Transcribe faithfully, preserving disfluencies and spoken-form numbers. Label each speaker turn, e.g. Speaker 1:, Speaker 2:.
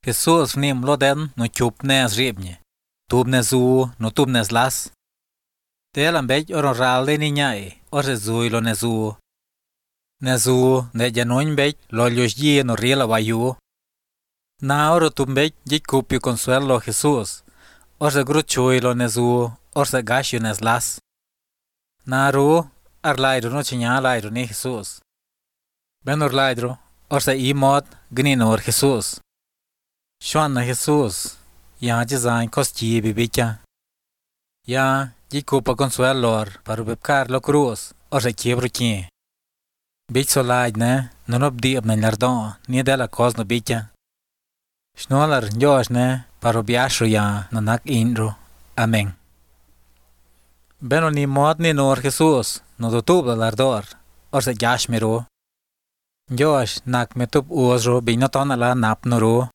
Speaker 1: Jesus nim loden no chup nes riebnye. Tub nezu no tub nes las. Telan bej oron ralde ni nyai, orse zui lo nezu. Nezu ne janoin bej lo lyoshye no riela wayu. Na oro tub bej jik kupio consuelo Jesus. Orse gruchui lo nezu, orse gasio nes las. Na ru, arlaidro no chinya laidro ni Jesus. Ben orlaidro, orse imod gninor Jesus. Shuan na Jesus, ya jizain kosti bibicha. Ya jikupa consuelor para bebcar lo cruz, orse kiebro kie. Bich solaid ne, nonob diab na lardon, ni de la cos no bicha. Schnolar njosh ne, para biashro ya nanak inro. Amen. Beno ni mod ni nor Jesus, no dotub la lardor, orse jashmiro. Njosh nak metub uozro binotona la nap noro.